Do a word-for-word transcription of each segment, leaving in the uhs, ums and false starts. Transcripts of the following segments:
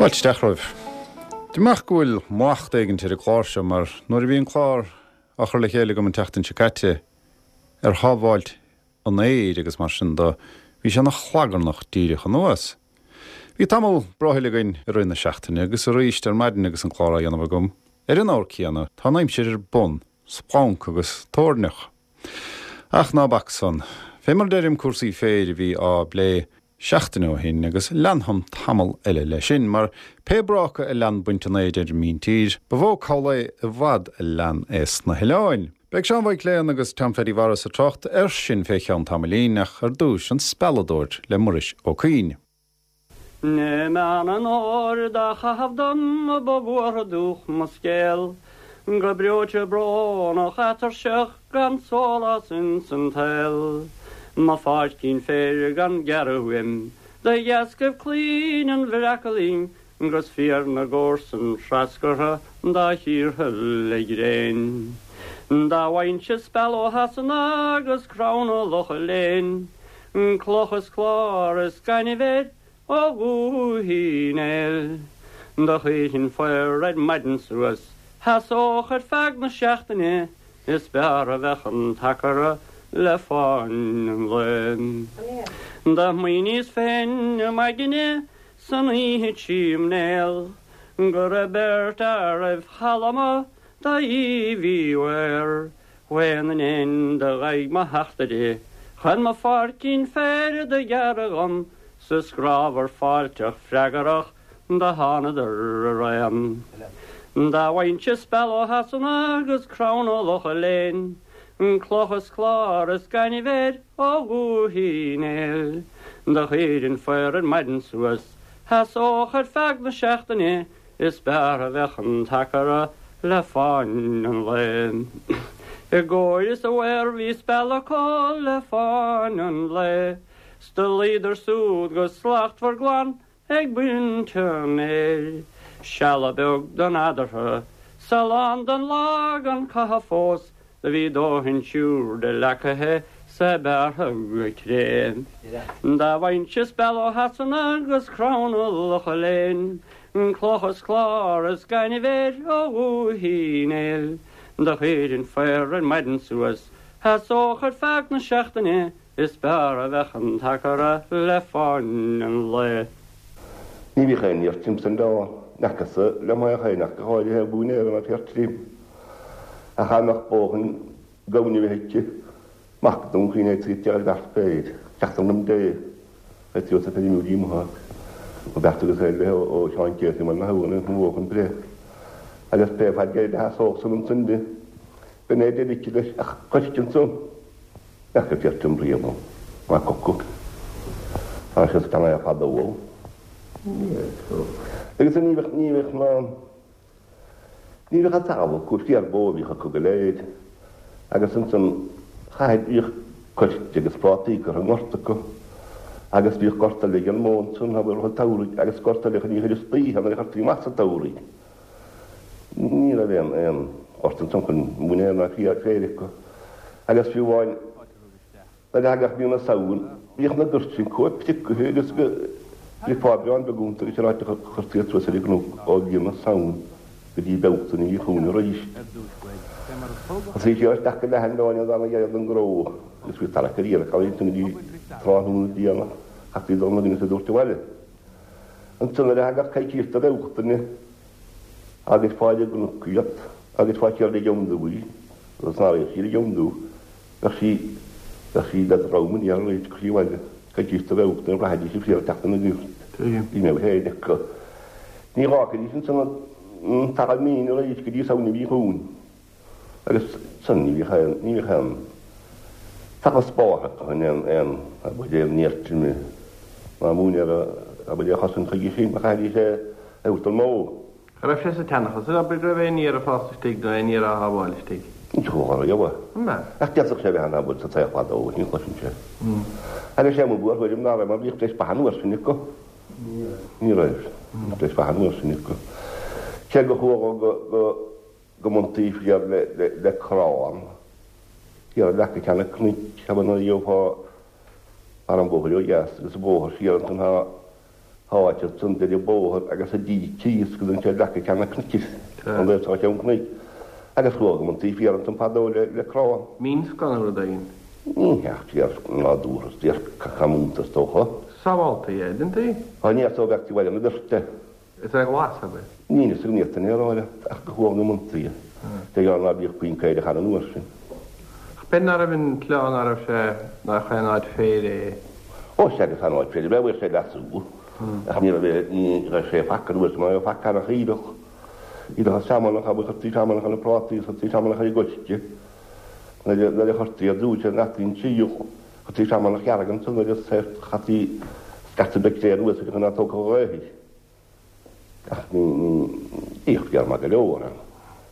Fáilte isteach romhaibh. Amach go bhfuil macht éigin ar an chlár seo mar nuair a bhí an clár á chur le chéile agam an tseachtain seo caite ar shábháilt an aeir agus mar sin de bhí sé ina chlagarnach díreach anuas. Bhí tamall brothaill againn i rith na seachtaine agus arís ar maidin agus an clár á dhéanamh agam. Ar an ábhar céanna tá an aimsir ar bun, splanc agus toirneach. Ach ná bac san, fé mar deirim cúrsaí féir a bhí á bplé seachtain ó shin agus leanfam tamall eile leis sin, mar pé bráca a lean baint an fhéir ar an míntír, ba mhó cabhlae i bhfad a lean é sna hoileáin. Beidh Seán Mhaidhc Léan agus Tom Pheaidí Mhaurice ag trácht air sin fé cheann tamaillín ach ar dtús an spealadóir le Muiris Ó Cuinn. Né meán an óir dá chaitheamh dom a ba bhuartha dúch mo scéal, go breoite brónach atuirseach gan sólás insan tsaol. Mo pháircín féir gan gearradh uaim, de dheascaibh claoin an bhreacailín, gus fíor na gcomharsan treascartha dá thíortha le gréin. Dá bhfaighinn-se speal ó Shasana agus crann ó Loch Léin, cloch is clár is gaineamh air ó Dhúiche Uí Néill. Do chuirfinn faor ar maidin suas, sheasódh ar feadh na seachtaine, is b'fhearr a bheadh an t-aicearra le fáinne an lae. Do smaoiníos féin i m'aigne san oíche tríom néal, go raibh beirt fhear roimh Chalma do Aoibh Uí Mhaoir, Mhaon na n-éan do ghaibh mo theachtaire, chun mo pháircín féir do ghearradh dhom, 's is grámhar fáilteach freagarach do thánadar araon. Dá bhfaighinnse speal ó Shasana agus crann ó Loch Léin, cloch is clár is gaineamh air ó Dhúiche Uí Néill, do chuirfinn faor ar maidin suas, sheasódh ar feadh na seachtaine, is b'fhearr a bheadh an t-aicearra le fáinne an lae. I gcóir is i bhfaor bhí speal acu le fáinne an lae, 's do luíodar súd go slachtmhar glan ag baint an fhéir, Seala beag den eadartha, 's a lán den lá gan caitheamh fós, do bhí dóthain siúr de leacaithe 's é bearrtha go cré. Dá bhfaighinnse speal ó Shasana agus crann ó Loch Léin, cloch is clár is gaineamh air ó Dhúiche Uí Néill, do chuirfinn faor ar maidin suas, sheasódh ar feadh na seachtaine, is b'fhearr a bheadh an t-aicearra le fáinne an lae. Ní bhíodh aon fhéar tirim san oileán, n'fheacas-sa le m'aghaidh féin ach go háirithe mhóin ná féar tirim. Ach dá mbeadh bó chun gamhain a bheith aici, mac Dún Chaoin é trí ar bheart féir, ceachtar liom dé, é trí os a feirmiú díomthá. Ó bheart agus é le ó Sheán Céasar mar na habhann an bhó chun breith. Agus pé fad gairid a sheasódh san ansan di, b'in é deireadh aici leis ach coisc ansan. N'fheaca féar tirim riamh ann, ná coca. Tá sé sa teangaidh fada uaidh. Agus ní bheadh ní bheadh ná ní bheadh an talamh acu, féar bó a bhíodh acu go léir. Agus ansan chaithfidh bhíodh coirce agus prátaí curtha i ngort acu. Agus bhíodh gort eile ag an mbó ansan, abair, rith an tsamhraidh, agus gort eile chun í a chur istoíche nuair a chuirtí amach sa tsamhraidh. Ní raibh aon aon ghort ansan chun móinéar ná féar féir acu. Agus fiú amháin nuair a thagadh mí na Samhna, bhíodh na goirt sin chomh priocaithe agus go bhfeicfeá aibreán beag iontu agus an áit a chuirtí iad suas ar an gcnoc ó mhí na Samhna go dtí Bealtaine a bhí chugainn arís. Thosaigh siad isteach go leath an mheáin an dara dheireadh den ghnó agus bhí tarrac ar iarraidh ansin go dtí tráthnóna déanach, chaithfí dul na gcoinne sa dúirt abhaile. Ansan nuair a thagadh coicís do Bhealtaine agus fáil i gcnoc iad agus fáil siar le Gionduí agus ná raibh siar i Giondu bheadh sí bheadh sí le drom aniar arís go dtí abhaile coicís do Bhealtaine bhraithfidís an féar ag teacht ina gcirt. Ní mbeadh féin acu. Ní dh'fhágfaidís ansan an talamh mín arís go dtí Samhain a bhí chugainn. Agus san ní bhíodh aon ní bhíodh aon talamh spártha acu in aon aon abair aon fhéar tirim ná móinéar abair é a chosaint chuige sin mar chaithfidís é a thabhairt don mbó. Cha raibh sé sa tseanchas, abair, go raibh aon fhéar ag fás istigh nó aon fhéar á shábháil istigh. Ní chuala riamh é. An ea? Ach d'fhéadfadh sé a bheith ann, abair, sa tsaol fadó, ní chloisinnse é. Agus sé mo bhuarthuairim ná raibh mar bhíodh breis ba an uair sin acu. Ní raibh. Bhíodh breis ba an uair sin acu. Cé go chuala go go go mbaintí féar le le le crann thiar i leac an chnoic, abair nuair a gheofá ar an bhóthar ó dheas agus an bóthar siar ansan tá Háit ansan deireadh bóthair agus a díth síos go dtí sé leac ag ceann na cnoic an dtaobh seo ceann cnoic agus chuaigh an taobh thiar ansan fadó le le crann. Mín-scoth nó rud éigin. Ní hea ach féar nádúrtha is féar comúnta is dócha. Sábhálta é, didn't he? Á ní so bheadh tú bhaile na beirte. Is é glas ab é? Ní is ní an aeráile ach go chuaigh na muntaí. De ghearr ná bíodh puinn caorach ann an uair sin. Ach b'in ná raibh an tslí ná raibh sé nach aon áit féir é. Ó sea agus an áit féir bheadh bhfuil sé leasú. Ach ní raibh ní raibh sé faic an uair sin mar raibh faic ann ach iadach. Iadach an seamanach a chuirtí seamanach ar na prátaí is chuirtí seamanach ar an gcoirce. Nuair a chuirtí ar dtús ar an aitinn síoch chuirtí seamanach dhearg ansan agus chaití scata beag clé anuas aige chun ná tógfadh an ghaoth í. Ach ní, ní, bhíodh féar maith go leor ann.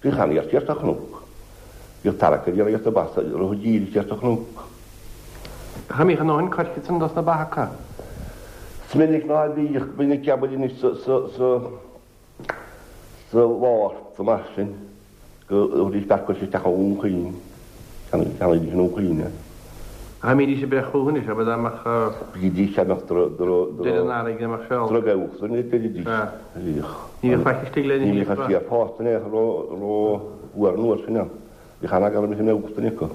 Bhíodh an-fhéar thiar sa chnoc. Bhíodh tarrac ar iarraidh sa bas a rith díreach siar sa chnoc. Ach an mbíodh a ndóthain coirce ansan dos na ba acu? Is minic ná bíodh, minic abair anois sa, sa, sa, sa Mhárta mar sin go dtabharfaidís beart coirce isteach ó Dhún Chaoin. Cheannaídís i nDún Chaoin é. Ach an mbídís ag breith chucu anois, abair dá mbeadh. Bhídís dá mbeadh Deireadh an earraigh dá mbeadh seol. Drogallach san é deiridís. Bhíodh. Ní bhíodh faic istigh le Ní bhíodh an féar fásta in aon chor ró-fhuar an uair sin ann. Bhíodh an-eagla orm go mbeadh duine acu.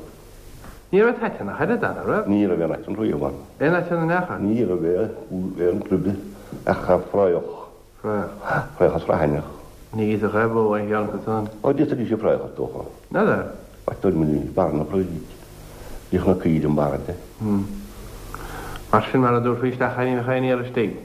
Ní raibh aiteann ach oiread ann, an raibh? Ní raibh aon aiteann riamh ann. Aon aiteann in aon chor? Ní raibh aon rud ach fraoch. Fraoch. Fraoch is raithineach. Ní íosfadh aon bhó aon cheann acu san. Ó, d'íosfaidís an fraoch is dócha. N'fheadar. Ach dúirt muid ní barr na fraoigh. Bhíodh na caoirigh i mbarr de. Mar sin, mar a dtabharfaí isteach é ní bheadh aon fhéar istigh.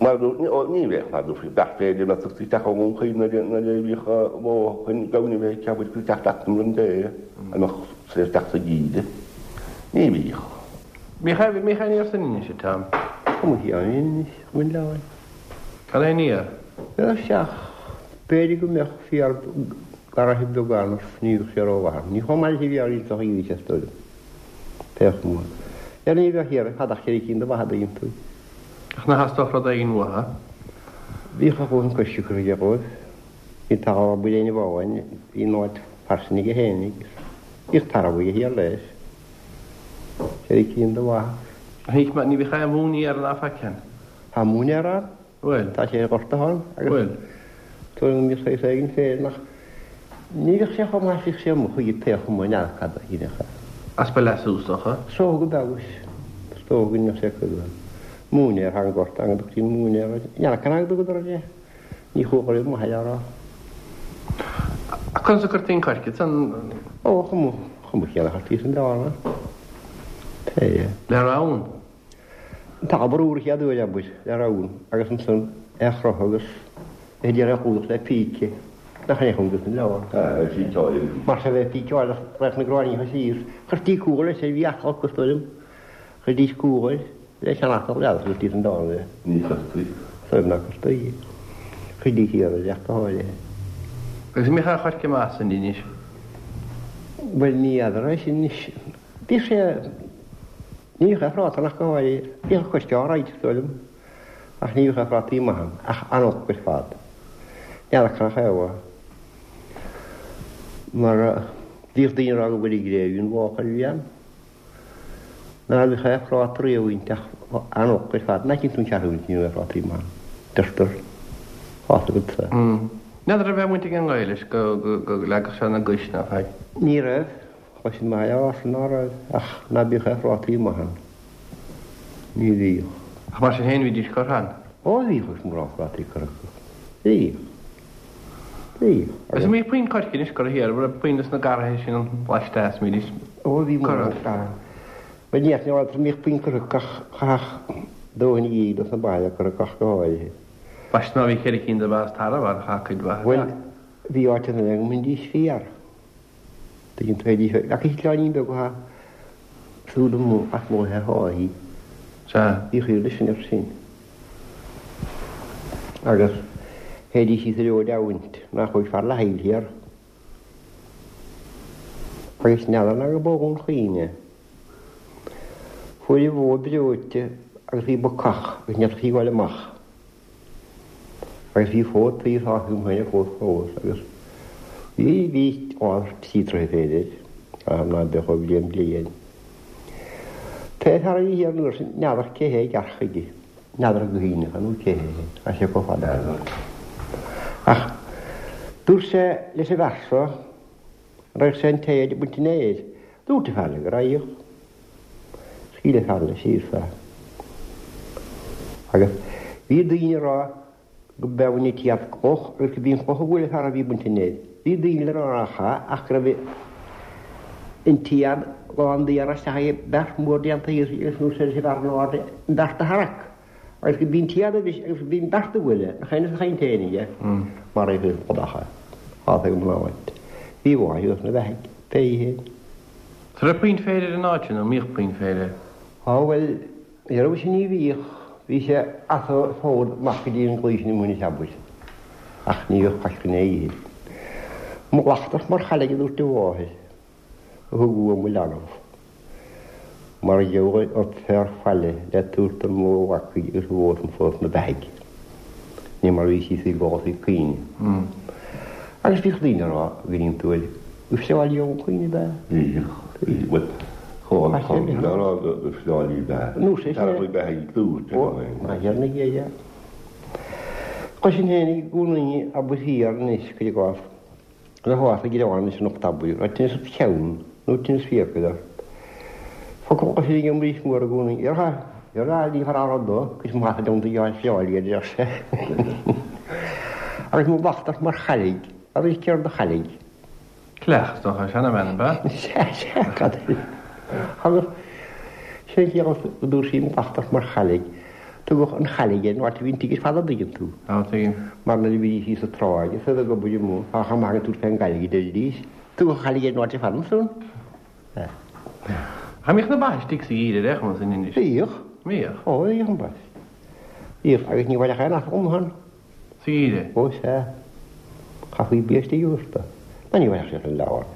Mar a dúirt, ó, ní bheadh, mar a dtabharfaí beart féir le tugtaí isteach ó Dhún Chaoin nuair a nuair a bhíodh bó chun gamhain a bheith ag ceapadh go teacht leat an rud é a mbeadh sé isteach sa gheimhreadh. Ní bhíodh. Bhíodh aon bhíodh aon fhéar san Inis, a Tom? Tá mo cheann in Inis, mo leabhar. Gan aon fhéar? Bheadh sé ach b'fhéidir go mbeadh féar garraithe beag ann ach ní bheadh sé rómhaith. Ní chomh maith leis a bhí ar iontach a bhí sé is dóigh liom. Pé chuma. Ar ní bheadh thiar fad ach ceithre cinn de mhaithe iontu. Ach nach theastódh rud éigin uathu? Bhíodh a dhóthain coiscthe curtha aige dhóibh. Bhí talamh ar buile ina bháin, bhí an áit fairsing aige fhéinig. Bhíodh tarbh aige thiar leis. Ceithre cinn de mhaithe. Ach ní ní bhíodh aon mhóinéar ná faic ann? Tá móinéar ann. Bhfuil? Tá sé gortaithe ann agus Bhfuil? tuairim go mbíodh saghas éigin féin ach ní bheadh sé chomh maith is bhíodh sé amuigh chuige pé chuma n'fheadar cad a shílfeadh é. Easpa leasú is dócha. Is dócha go mbeadh is dócha go mbeadh sé cuid de. Móinéar thar an ngort an dtugtaí an móinéar air. N'fheadar cén fáth go dtugadar air é. Ní chuaigh riamh maith le rá. Ach conas a chuirtí an coirce san? Ó, chomh chomh chéanna a chuirtí san bhearna. Pé é. Le rann? An t-ábhar úr a chéad uair, abair, le rann, agus ansan é a chroitheadh agus é a d'iarraidh a chumhdach le píce, nach é chun an leabhar. Píceáil. Mar sea, bheith píceáil ach raghadh na gráinníocha síos. Chuirtí cuar leis, bhí atal acu, is dóigh liom. Chuirdís cuar leis an atal, n'fheadar, chuirtí san dán é. Ní chuirtí. Is dóigh liom ná cuirtí. Chuirdís thiar é ach go háirithe. Agus an mbíodh aon choirce maith san Inis? Bhuel, ní fheadar é sin anois. Bhíodh sé. Ní bhíodh aon phráta ann ach go háirithe. Bhíodh coirce alright, is dóigh liom, ach ní bhíodh aon phrátaí maith ann, ach an-olc ar fad. N'fheadar cad a thaobh mar bhíodh daoine ag rá go bhfuil i gcré an mháchail a bhí ann. Ná bhíodh aon phráta riamh inti ach an-olc ar fad. Nach iontach an ceathrú ní raibh aon phrátaí maith ann. Deirtear. Tá fhios agatsa. N'fheadar an raibh aon bhaint ag an ngaoth leis go leagfadh sé na gais ná faic. Ní raibh. Tá sin maith a rá ná raibh, ach ná bíodh aon phrátaí maith ann. Ní bhíodh. Ach mar sin féin bhídís curtha ann. Ó bhíodh agus mórán prátaí curtha acu. Bhíodh. Bhíodh. Agus an mbíodh puinn coirce anois curtha thiar, an raibh puinn dos na garraithe sin an laisteas, an mbídís Ó bhí mórán curtha. garraithe. Bhuel ní fheadar an mbíodh puinn curtha acu ach chaithfeadh dóthain a dhíol dos na ba a curtha acu ach go háirithe. Baiste má bhí ceithre cinn de bha is tarbh ann, chaithfeadh cuid mhaith a Bhuel bheith. bhí áiteanna eile go mbainidís féar. Tuigeann tú é ach eitleáinín beag atá siúd amuigh as mo tháithí. Sea. Bhí chuile sin air sin. Agus théidís síos ar fhód abhaint nach bhfuil fear le haill thiar. Agus n'fheadar ná go bó Dhún Chaoin é. Fuair an bhó breoite agus bhí bacach agus ní fhéadfadh sí gabháil amach. Agus bhí fód taobh tá agam féin fós fós agus bhí bhí dhá trí troithe b'fhéidir, ná beadh ó bhliain bliain. Pé fear a bhí thiar an uair sin n'fheadar cé hé a gceart chuige. N'fheadar go hAoine nó cé hé, tá sé chomh fada. Ach dúirt sé leis an bhfear seo, an raghadh sé an téad ag baint an fhéir. Dúirt an fear go raghadh. Scaoil an fear leis siar fé. Agus bhí daoine ag rá go mbeadh an téad cloch agus go b'í an chloch a bhuail an fear a bhí ag baint an fhéir. Bhí daoine le rá nach ea ach go raibh an téad lán d'fhéar isteach i beart mór déanta thíos agus dúirt sé leis an bhfear in airde an beart a tharrac. Agus go b'í an téad a bhris agus go b'í an beart a bhuail é, nach é an chaint féin aige, maraíodh é an chodach é. Fágtha ag an mná uait. Bhí a mháthair thuas ina beathaigh, pé í féin. An raibh puinn féir ar an áit sin, nó an mbíodh puinn féir air? Á bhuel, ní raibh sin ní bhíodh. Bhí sé as a fód amach go dtí an gclaí sin i Muine Cheabair. Ach ní bhíodh faic chun é a ithe. Mo ghlachtach mar chailligh a dúirt a mháthair, a thug uaim mo leanbh. Mar gheobhaidh ort féar faille le tabhairt don mbó bhacaigh agus a bhó san fós 'na beathaigh. Ní mar bhí sí i gcás ag caoineadh. Agus bhíodh daoine ag rá go n-iontaoibh go fleáilí ón chaoineadh ab ea? Bhíodh. Bhuel, chomh chomh le rá go fleáilí ab ea. Nó sé sin. Fear a bheith ag dúirt Ó, ná dhearna ghéire. Chloisinn féin i gcónaí abair thiar anois, cuir i gcás, le háthas ag greann anois an ucht abair, raibh tinneas ort cheann nó tinneas fiacail ort. Focal a chloisinn ag an Muiris Mór i gcónaí, Ar ar ní fear rud dó, cuid maith a deonta gheáil fleáilí a deir sé. Agus mo bhachtach mar chailligh, agus céard a chailligh? Cleach, is dócha, seanabhean, ab ea? Sea, sea, cad é? Agus sin an chiall a dúirt sí mo bhachtach mar chailligh. Tugadh an chailligh air an áit a bhí an tigh ar fad a dtuigeann tú. Á, tuigim. Mar nuair a bhídís thíos sa tráigh is iad ag obair amuigh, tá chomh maith an tabhairt fén gcailligh a deiridís. Tugadh an chailligh air an áit ar fad ansan. Ach an mbíodh na ba istigh sa gheimhreadh ar aon chuma san Inis? Bhíodh. Bhíodh? Ó, bhíodh an ba. Bhíodh, agus ní bhainfeadh aon asal amuigh ann. Sa gheimhreadh? Ó, sea. Chaithfí bia istigh a thabhairt dó. Ná ní bhainfeadh sé san leabhar.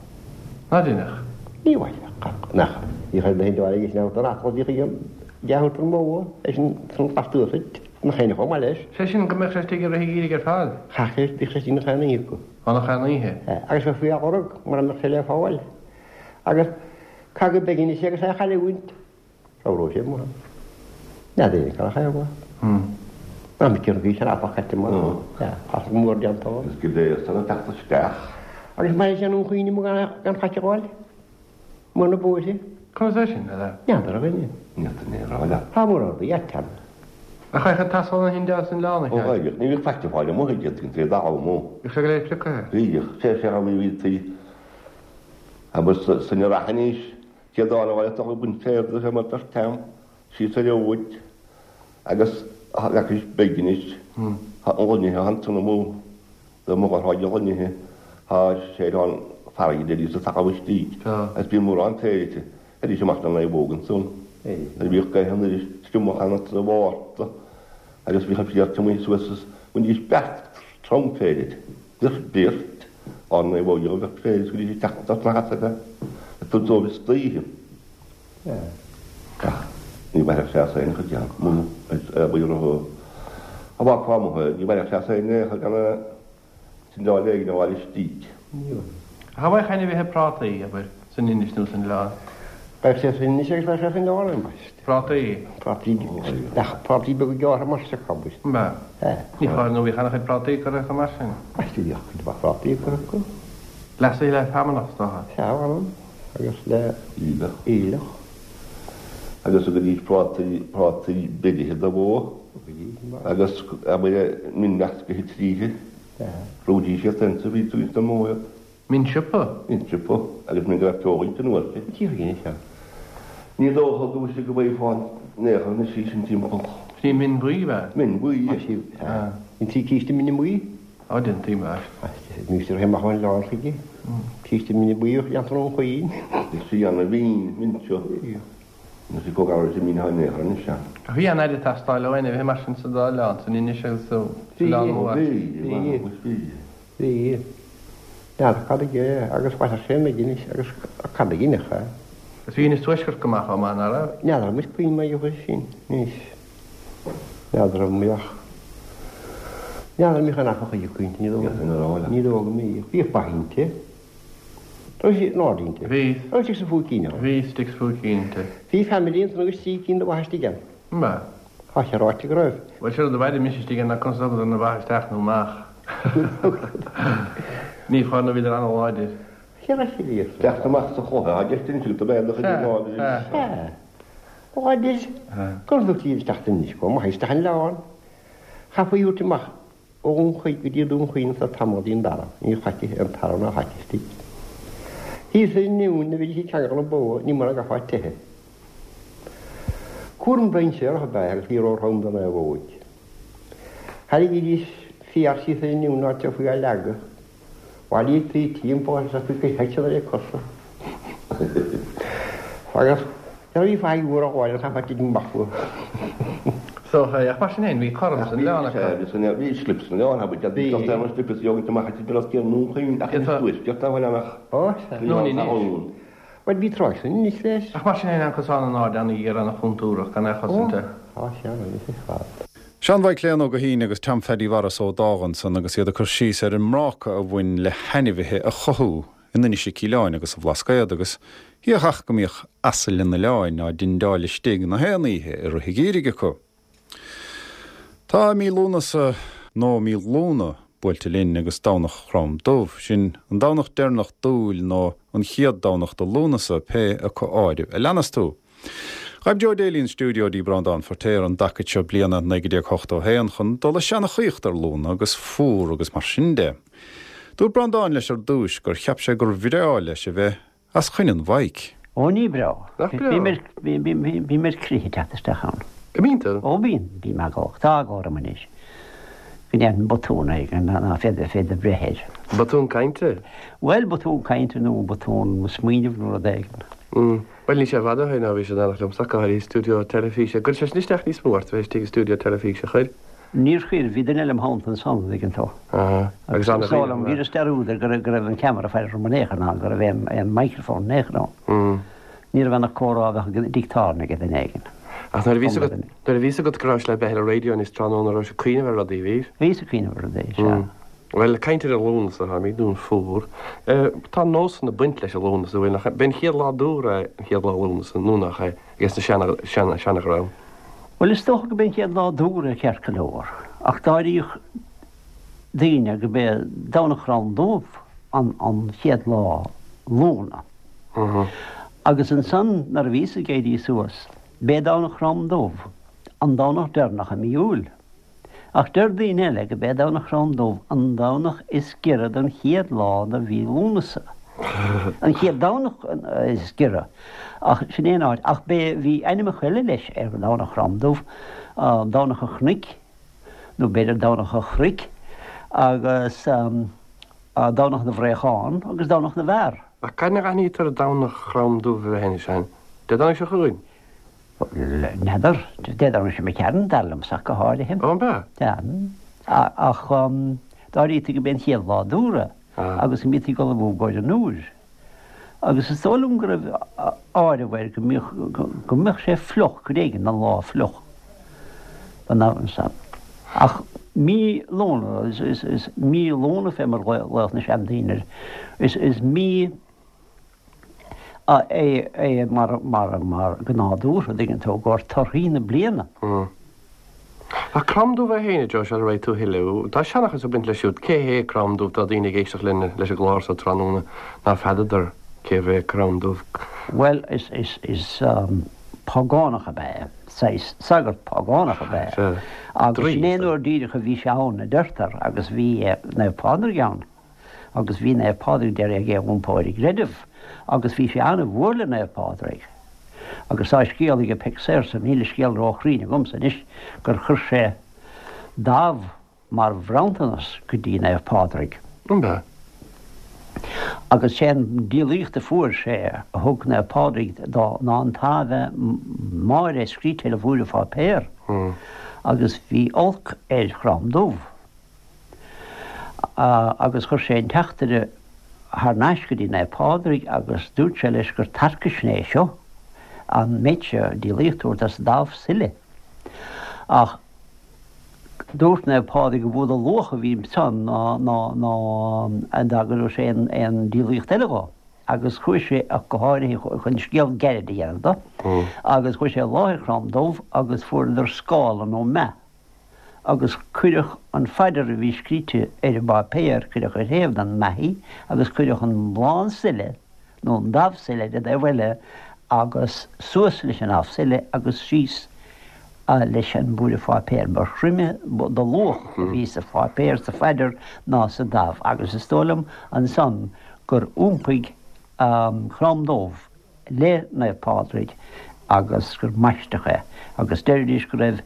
Ná deineadh? Ní bhainfeadh. Nach. Bhíodh ar na hindeáil aige sin a thabhairt don asal, bhíodh aige dea-thabhairt don mbó, é sin san glas thuas duit, nach aon chomh maith leis. Sé sin go mbeadh sé istigh i rith an gheimhridh ar fad? Chaithfeadh sé, bhíodh sé istigh nach aon oíche acu. Ó, nach aon oíche? Sea. Agus bheadh faoi á lorg mura mbeadh sé le fáil. Agus caith go beag anois é agus é a chailliúint. Ramhróidh sé amuigh ann. N'fheadar éinne cá raibh a bhua. Ná mic an bhí sin afach caite mar as mór déanta ann. Is go léir san ag teacht isteach. Agus mar sin an chuimhne amuigh gan gan faic a fháil. Amuigh na bóithre. Conas é sin, a N'fheadar a dhuine. N'fheadar ní raibh leat. Tá mór ordu, a teann. Ach chaith an t-asal na hIndia san oileán a Ó cheart. chaith, ní bhíodh faic a fáil amuigh aige, tuigeann tú, é dá mó. Bhíodh sé go léir pioctha. Bhíodh, sé sé an bhí tí. Agus san rath anois, céad áil a bhaile tá ag baint féir de sé mar beirt am, síos ar fhóid, agus leacais beag anois, tá an loinithe ansan amuigh, dá mba ghortháid an loinithe, tá sé ar an farraige de sa talamh istigh, agus bíonn mórán féir inti, arís amach na naomhóg ansan. Nuair a bhíodh gaoth anoir triomach ann sa Mhárta, agus bhíodh an féar tiomaithe suas is bhainidís beart trom féir inti, bhíodh beart ár naomhóg a bheadh féir is go dtí sé teacht as na hasaile, ag tabhairt dóibh istoíche. Ach ní bhainfeadh sé as aon chuid ann, muna bhí orthu a bhfágfá amuigh é, ní bhainfeadh sé as aon chor gan a tindeáil éigin a bhaile istigh. Ach an bhfaigheadh ainmhithe prátaí, abair, san Inis nó san oileán? Bheadh sé san Inis agus bheadh sé san oileán, ambaist. Prátaí? Prátaí, ach prátaí beaga gearrtha mar seo, ambaist. Ba. Sea. Ní foláir nó bhíodh an-chuid prátaí curtha acu mar sin. Ambaist, bhíodh cuid mhaith prátaí curtha acu. Leasaithe le feamnach, is dócha. Sea, mh'anam, agus le Aoileach. Aoileach. Agus thugaidís prátaí, prátaí beirithe do bhó. Thugaidís. Agus abair min meascaithe tríthi. Sea. Bhrúidís iad féin sa bhí tú sa mbó iad. Min siopa? Min siopa, agus min go raibh feoil inti nó uirthi. Cé chuige seo? Ní dócha go bhfuil sé go bhfaighfeá an néar anois í sin timpeall. Sin í min bhuí, ab ea? Min bhuí. Tá sí, an trí císte mine buí? Á, déantaí mar. Ní sé amach ón oileán chuige. Císte mine buí a dhéantar ón choill. Is í an mhin, min seo. Nó sí chomh garbh is a mín an néar anois ea. Ach bhí an-aire ag teastáil ó ainmhithe mar sin sa dá oileán, san Inis agus sa Oileán Mór. Bhí, Bhí. bhí. Bhí. N'fheadar cad aige agus bhainfeadh sé an Inis agus cad a dhéanfadh é. Is bhí Inis Tuaisceart go maith chomh maith, nach raibh? N'fheadar muid puinn mar gheall air sin anois. N'fheadar an mbeadh. N'fheadar an mbeadh an athracha acu inti, ní dóigh. Ní dóigh go mbeadh. Bhíodh ba inti. Raibh sí in ard inti. Bhí. Raibh sí sa phúicín ann. Bhí, istigh sa phúicín inti. Bhí family ansan agus trí cinn de mhaith istigh ann. Ba. Tá sé ráite go raibh. Bhuel, sin rud a bhfaighidh mise istigh ann conas a thugadar na ba isteach nó amach. Ní fáth nó bhíodar an-láidir. Cé raibh sé bhíos? Teacht amach sa chluiche, tá gceist anois agat, ab é do chuid láidir. Sea. Láidir. Conas a thugtaí iad isteach anois? Chomh maith isteach an oileán. Chaithfí a thabhairt amach ó Dhún Chaoin go dtí Dún Chaoin sa tamall go dtí an dara. Níor chaití an tara ná chaití istigh. Thíos i nDún a bhídís ag ceangal na bó, ní mar a gcaithfeá teitheadh. Cúram dainséarach ab ea é agus ní róthrom don naomhóig. Tharraingídís féar síos ar an ndún áit a raibh á leagadh. Bhailíodar timpeall agus gur thit siad ar a cosa. Agus nuair a bhí faic mhór á ghabháil an chaithfeá titim amach fúthu. So, ach mar sin féin, bhí cothrom san oileán acu. Bhí slip san oileán, bhí bhí an slip is jogaint amach a bhí os cionn Dhún Chaoin ach is tuaisceart an oileán ach. Ó, sea. Bhuel, bhí tráigh san anois leis. Ach mar sin féin, an cosán in airde an-ghéar, an-chontúrach, gan é a chosaint. Ó, tá sé ann anois ar fad. Seán Mhaidhc Léan Ó Guithín agus Tom Pheaidí Mhaurice Ó Dágha ansan agus iad ag cur síos ar an mbráca a bhain le hainmhithe a chothú in Inis Mhic Aoileáin agus sa Bhlascaod agus bíodh ach go mbíodh asail an oileáin á dtindeáil istigh na haon oíche i rith an gheimhridh acu. Tá mí Lúnasa nó mí Lúna buailte linn agus Domhnach Chrom Dubh, sin an Domhnach deireanach d'Iúil nó an chéad Domhnach de Lúnasa, pé acu áireamh a leanas tú. Ghaibh Joe Daly an stiúideo dtí Breandán Feirtéar an dtaca seo bliana naoi déag ochtó a haon chun dul ag seanchaíocht ar Lúna agus fuar agus mar sin de. Dúirt Breandán leis ar dtúis gur cheap sé gur bhreá leis a bheith as choinne an mhaidhc. Ó ní breá. Nach breá? Bím ar crith ag teacht isteach ann. An mbíonn tú? Ó bíonn, bím eaglach. Tá eagla orm anois. Go ndéanfainn botún éigin ná féadfaí féadfaí breith air. Botún cainte? Bhuel, botún cainte nó botún smaoinimh nó rud éigin. Bhuel, níl sé i bhfad ó shin ó bhí sé in éineacht liomsa go háirithe i stiúideo teilifíse. Gcuir sé sin isteach níos mó ort a bheith istigh i stiúideo teilifíse, chuir? Níor chuir, bhí duine eile im theannta ansan, an dtuigeann tú. Aha. Agus Agus ana is dóigh liom, dhaoine. dheineas dearúd ar go raibh go raibh an ceamara ag faire orm in aon chor ná go raibh aon aon microphone in aon chor ann. Ní raibh ann ach comhrá a bheadh ag dicteán ag duine éigin. Ach nuair a bhí Cuma agat duine. nuair a bhí agat go raibh sé le bheith ar an raidió níos tráthnóna raibh sé ag cuimhneamh ar rudaí, bhí? Bhíos ag cuimhneamh ar rudaí, sea. Bhuel, caint ar an Lúnasa, táimid i nDún Fuar. Tá nósanna ag baint leis an Lúnasa, bhfuil, nach, b'é an chéad lá d'úr é an chéad lá Lúnasa, nó nach é, ages na seana, seana, seana-dhream. Bhuel, is dócha go b'é an chéad lá d'úr é ceart go leor, ach d'áiríodh daoine go b'é Domhnach Chrom Dubh an, an chéad lá Lúna. Agus ansan, nuair a bhíos ag éirí suas, b'é Domhnach Chrom Dubh an Domhnach deireanach i mí Iúil. Ach deir daoine eile go b'é Domhnach Chrom Dubh an Domhnach is giorra don chéad lá de mhí Lúnasa. An chéad Domhnach is giorra. Ach sin é an áit. Ach b'é, bhí ainmneacha eile leis ar Dhomhnach Chrom Dubh, Domhnach an Chnoic, nó b'fhéidir Domhnach an Chnoic, agus Domhnach na bhFraochán agus Domhnach na bhFear. Ach cathain a aithnítear Domhnach Chrom Dubh a bheith anois, Seán? Dé Domhnaigh seo chugainn? N'fheadar. Dé Domhnaigh seo imigh tharainn, dar liomsa ach go háirithe. Ó, an b'ea? Sea. Ach d'áirítear go b'é an chéad lá d'úr é agus go mbítí ag ullmhú i gcomhair an úir. Agus is dóigh liom go raibh áireamh air go mbíodh, go mbeadh sé fliuch, cuid éigin den lá fliuch don am san. Ach mí Lúna, is, is, is mí Lúna fé mar ghlaodh na seandaoine air, is, is mí é, é mar, mar, mar go nádúrtha, an dtuigeann tú, i gcomhair torthaí na bliana. Ach Crom Dubh é féin, a Joe, sula raghaidh tú a thuilleadh, tá seanchas ag baint leis siúd. Cé hé Crom Dubh? Tá daoine ag éisteacht linn leis an gclár seo tráthnóna ná feadadar cé hé Crom Dubh. Bhuel, is, is, is págánach ab ea é, saghas sagart págánach ab ea é. Agus sin é an uair díreach a bhí sé ann, a deirtear, agus bhí Naomh Pádraig ann. Agus bhí Naomh Pádraig d'iarraidh é a iompó ar an gcreideamh, agus bhí sé an-mhór le Naomh Pádraig. Agus tá scéal ag Peig Sayers, níl an scéal róchruinn agamsa anois, gur chuir sé damh mar bhronntanas go dtí Naomh Pádraig. An b'ea? Agus sé an díolaíocht a fuair sé a thug Naomh Pádraig dó ná an tAbhe Máire scríte ar mhúrpháipéar. Agus bhí olc ar Chrom Dubh. Agus chuir sé an teachtaire thar n-ais go dtí Naomh Pádraig agus dúirt sé leis gur tarcaisne é seo, an méid seo díolaíocht a thabhairt as damh sile. Ach dúirt Naomh Pádraig gur mhó de luach a bhí ansan ná ná ná dá gcuirfeadh sé aon aon díolaíocht eile dhó. agus chuaigh sé ach go háirithe chun scéal gairid a dhéanamh de, agus chuaigh sé i láthair Chrann Dubh agus fuaireadar scála nó meath agus cuireadh an phaidir a bhí scríte ar an bpáipéar, cuireadh ar thaobh den meath í agus cuireadh an lán sile nó an damh sile ar an dtaobh eile agus suas leis an damh sile agus síos leis an bpúire pháipéir. Ba throime de luach a bhí sa pháipéar, sa phaidir ná sa damh agus is dóigh liom ansan gur iompaigh Crom Dubh le Naomh Pádraig agus gur maisteadh é agus deiridís go raibh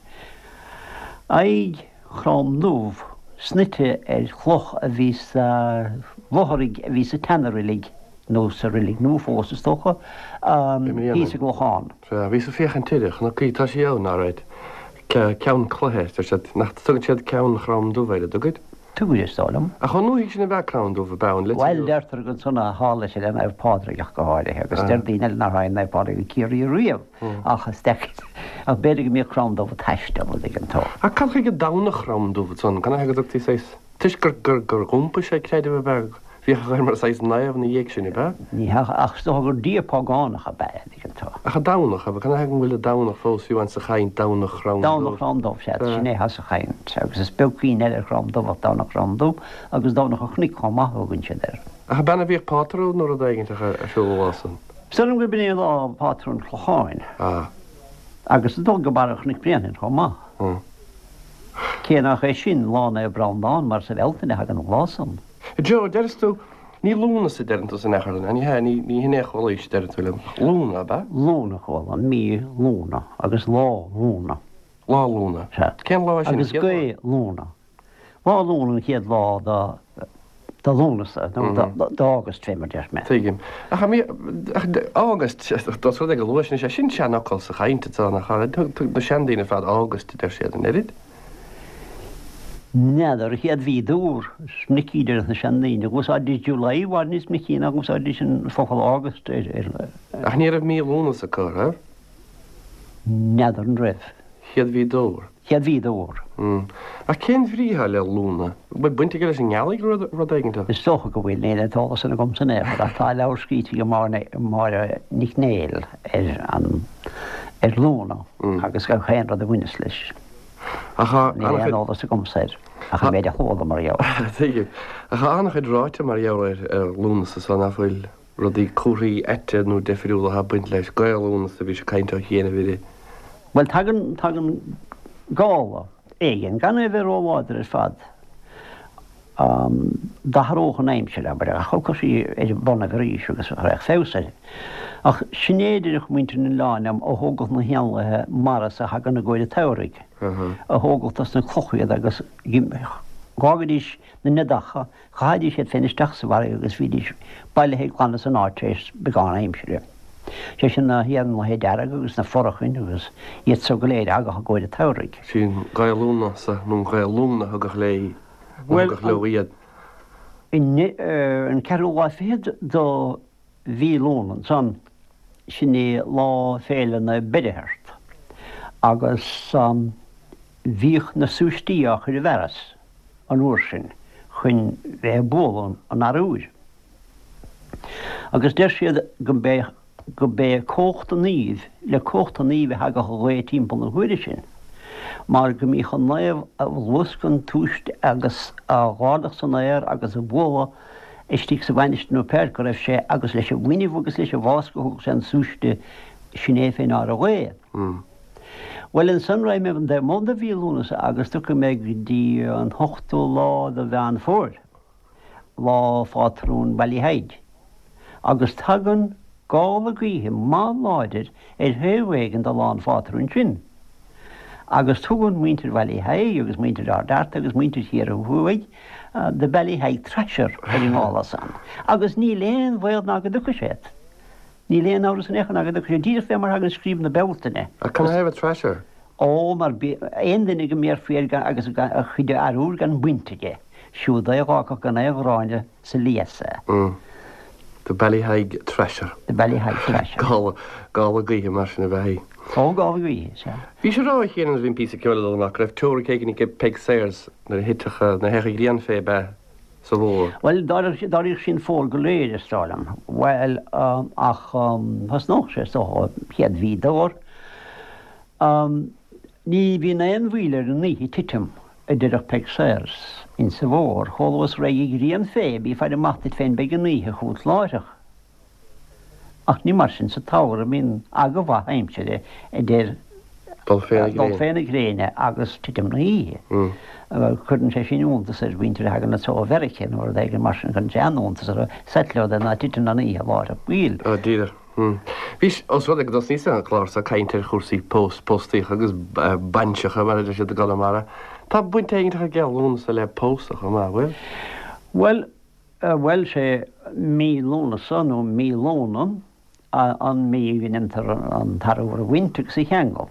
aghaidh Chrom Dubh snoite ar chloch a bhí sa bhfothraigh a bhí sa tseana-reilig, nó sa reilig nua fós is dócha, thíos i gClochán. Sea, bhíos ag féachaint uirthi, chonac í, tá sí ann, alright. Ceann cloiche, deir siad, nach dtugann siad Ceann Chrom Dubh air, an dtugaid? Tugaid, is dóigh liom. Ach chomh ndúthaigh sin ab ea Crann Dubh ab ann le Bhuel, deirtear gur ansan a tharla sé le Naomh Pádraig ach go háirithe, agus deir daoine eile nár tháinig Naomh Pádraig go Ciarraí riamh, ach is deacair, ach b'fhéidir go mbíodh Crann Dubh ag taisteal, an dtuigeann tú. Ach cad chuige Domhnach Chrom Dubh ansan? Canathaobh go dtugtaí saghas, toisc gur, gur, gur dh'iompaigh sé creideamh ab ea? Bhíodh air mar saghas naomh ina dhiaidh sin, ab ea? Ní hea, ach is dócha gur dia págánach ab ea é, an dtuigeann tú. Ach an Domhnach, ab ea? Canathaobh go bhfuil an Domhnach fós fiú amháin sa chaint, Domhnach Chrom Dubh? Domhnach Chrom Dubh, sea, sin é atá sa chaint. Agus is beag cuimhne eile ar Chrom Dubh ach Domhnach Chrom Dubh, agus Domhnach an Chnoic chomh maith a thugann siad air. Ach ab ea a bhíodh pátrún nó rud éigin ar siúl an lá san? Is dóigh liom gurb in é lá Phátrún an Chlocháin. Ah. Agus is dóigh go Barra Chnoic Bréanainn chomh maith. Hmm. Cé nach é sin Lá Naomh Breandán mar sa Bhealtaine a thagann an lá san. Joe, deireas tú, ní Lúnasa a deireann tú san achar, ní hea, ní, ní hin é a chualaís, deireann tú liom. Lúna, ab ea? Lúna a chuala, mí Lúna agus lá Lúna. Lá Lúna. Sea. Cén lá é sin? Agus gaoth Lúna. Lá Lúna an chéad lá de, de Lúnasa, nó de, d'August fé mar deir mé. Tuigim. Ach, ach August, dós rud é go luath sin, sé sin seanfhocal sa chaint atá nach, thug na seandaoine ar fad August a deir siad, an oiread? N'fheadar, an chéad mhí d'Iúr, is minic a deir na seandaoine, dh'úsáididís July i bhfad níos minicí ná dh'úsáididís an focal August ar, ar. Ach ní raibh mí Lúnasa acu, an raibh? N'fheadar an raibh. Chéad mhí d'Iúr. Chéad mhí d'Iúr. Ach cén bhrí atá le Lúna? Bhfuil baint aige leis an ngealaigh nó rud éigin? Is dócha go bhfuil, níl an t-eolas san agamsa in aon chor, ach tá leabhar scríte ag Máire Nic Néill ar an, ar Lúna agus gach aon rud a bhaineas leis. Ach tá Níl aon eolas agamsa air, ach an méid a chuala mar gheall air. Tuigim. Ach tá an-chuid ráite mar gheall ar ar Lúnasa so nach bhfuil rudaí comharthaí aite nó deifriúla atá ag baint leis. Gaoth Lúnasa a bhí sé ag caint ó chianaibh uirthi. Bhuel, tagann, tagann gála éigin, gan é a bheith róláidir ar fad. D'athródh an aimsir, abair, ach thiocfadh sí ar a bonnaibh arís agus raghadh feabhas uirthi. Ach sin é a deireadh muintir an oileáin liom a thógadh na héanlaithe mara so a thagann i gcomhair an tsamhraidh, a thógadh dos na clocha iad agus dh'fhágaidís na neadacha, chaithidís iad féin isteach sa bhfarraige agus bhídís bailithe glan as an áit tar éis beagán aimsire. Sé sin na héanlaithe dearga agus na forachain agus iad so go léir a thagadh i gcomhair an tsamhraidh. Sin Gaoth Lúnasa nó an Ghaoth Lúna a thugadh léi. Bhuel, leo iad. An ceathrú lá fichead do mhí Lúna ansan, sin é lá féile Naomh Beirtheart, agus bhíodh na súistí á chur i bhfearas an uair sin chun bheith ag bualadh an arbhair. Agus deir siad go mbeadh go b'é cumhacht an naoimh, le cumhacht an naoimh a thagadh an ghaoth timpeall na huaire sin, mar go mbíodh an naomh a luascadh an tsúiste agus á dh'ardach san aer agus a bhualadh istigh sa mhainistir nó pé áit go raibh sé agus leis an bhfuinneamh agus leis an bhfáscadh a thugadh sé an súiste sin é fé ndeár an ghaoth. Bhuel, ansan raghaidh mé an taobh amuigh de mhí Lúnasa agus tiocfaidh mé go dtí an t-ochtú lá de Mheán Fómhair. Lá Phátrún Ballyheigue, agus tagann gála gaoithe maith láidir ar thaobh éigin de lá an phátrúin sin, agus tugann muintir Bhallyheigue agus muintir Ard Fhearta agus muintir Chiarraí Thuaidh The Ballyheigue Thrasher ar an ngála san, agus níl aon bhaol ná go dtiocfaidh sé. Níl aon amhras in aon chor ná go dtiocfaidh sé, díreach fé mar thagann Scríb na Bealtaine. Ach canathaobh Thrasher? Ó, mar aon duine go mbéarfaí air agus a chuid arbhair gan baint aige. Siúd é a dh'fhágfadh gan aon ghráinne sa lios é. The Ballyheigue Thrasher. The Ballyheigue Thrasher. Gála, gála gaoithe mar sin ab ea í. Ó, gála gaoithe, sea. Bhís ag rá cheana nuair a bhí an píosa ceoil ag dul amach go raibh teoiric éigin ag Peig Sayers nuair a thitfeadh, nuair a théadh an ghrian fé ab ea sa bhfómhar? Bhuel, d'áiríodh sí an fómhar go léir, is dóigh liom. Bhuel, ach thosnódh sé, is dócha, chéad mhí d'fhómhar. Ní bhíonn aon mhoill ar an oíche titim, a deireadh Peig Sayers, insa bhfómhar. Chomh luath is a raghaidh an ghrian fé, bí ag faire amach duit féin, beidh an oíche chugat láithreach. Ach ní mar sin sa tsamhradh, bíonn aga mhaith aimsire idir dul fé na gréine agus titim na hoíche. Cuireann sé sin iontas ar mhuintir a thagann anso ó Mheiriceá nó rud éigin mar sin, cuireann sé an-iontas orthu, settleodd ná titeann an oíche láithreach baill. Ó, díreach. Bhí, ós rud é go dtosnaíos an clár seo ag caint ar chúrsaí pós, póstaíocha agus bainseacha mar a deir siad i gConamara, tá baint éigin aige Lúnasa le pósadh chomh maith, bhfuil? Bhuel, Bhuel, sé mí Lúnasa nó mí Lóna an mí a ndéantar an t-arbhar a bhaint agus a cheangal.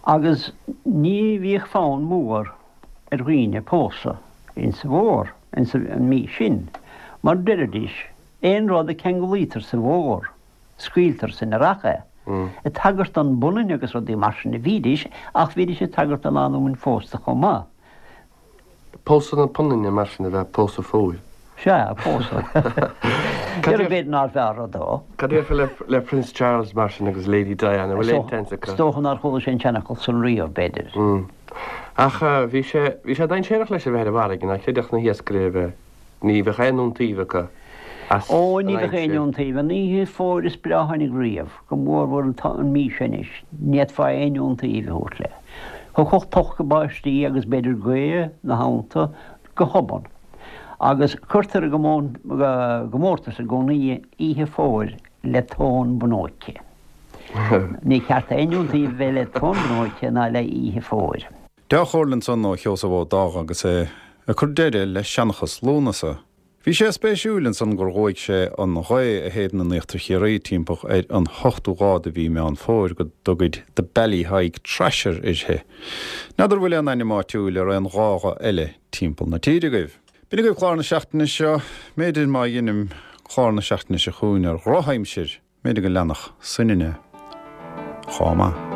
Agus ní bhíodh fonn mór ar dhaoine pósadh insa bhfómhar, insa mí sin, mar deiridís, aon rud a ceanglaítear sa bhfómhar, scaoiltear san earrach é. Ag tagairt don bpunann agus rudaí mar sin a bhídís, ach bhídís ag tagairt do lánúin phósta chomh maith. Pósadh na punainne mar sin a bheith pósadh fómhair. Sea, pósadh. Deir b'fhéidir nár bhfearr rud dó. Cad a déarfá le Prince Charles mar sin agus Lady Diana, bhfuil aon tseans acu? Is dócha nár chuala sé an seanfhocal san riamh, b'fhéidir. Ach bhí sé, bhí sé dainséarach leis a bheith ar an bhfarraige, ná chreidfeadh na hiascairí a bheith, ní bheadh aon iontaoibh acu as Ó, ní an bheadh aon aimsir. iontaoibh. An oíche fómhair is breá a tháinig riamh, go mórmhór an mhí seo anois, ní fhéadfá aon iontaoibh a thabhairt léi. Thiocfadh toctha báistí agus b'fhéidir gaoth 'na theannta go hobann. Agus cuirtear i gcomórtas i gcónaí oíche fómhair le tóin bhnóice. Ní ceart aon iontaoibh a bheith le tóin bhnóice ná le oíche fómhair. Dea-chomhairle ansan ó Sheosamh Ó Dágha agus é ag cur deireadh le seanchas Lúnasa. Bhí sé spéisiúil ansan gur dhóigh sé an ghaoth a shéideann in Íochtar Chiarraí timpeall ar an hochtú lá de mhí Meán Fómhair go dtugaid The Ballyheigue Thrasher uirthi. N'fheadar bhfuil aon ainm áitiúil ar aon ghágha eile timpeall na tíre agaibh. B'in agaibh clár na seachtaine seo. B'fhéidir má dheinim clár na seachtaine seo chugainn ar dhrochaimsir, b'fhéidir go leanfadh soininne chomh maith.